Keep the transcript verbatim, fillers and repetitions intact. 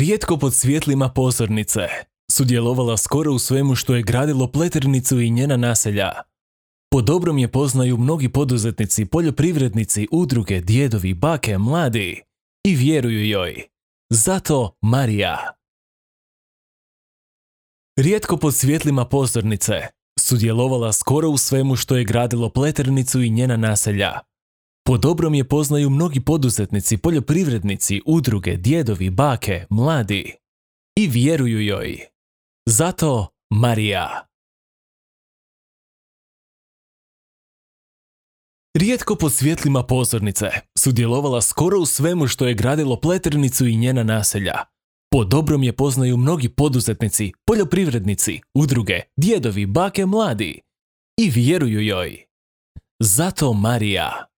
Rijetko pod svjetlima pozornice sudjelovala skoro u svemu što je gradilo Pleternicu i njena naselja. Po dobrom je poznaju mnogi poduzetnici, poljoprivrednici, udruge, djedovi, bake, mladi i vjeruju joj. Zato Marija. Rijetko pod svjetlima pozornice sudjelovala skoro u svemu što je gradilo Pleternicu i njena naselja. Po dobrom je poznaju mnogi poduzetnici, poljoprivrednici, udruge, djedovi, bake, mladi i vjeruju joj. Zato Marija. Rijetko pod svjetlima pozornice sudjelovala skoro u svemu što je gradilo Pleternicu i njena naselja. Po dobrom je poznaju mnogi poduzetnici, poljoprivrednici, udruge, djedovi, bake, mladi i vjeruju joj. Zato Marija.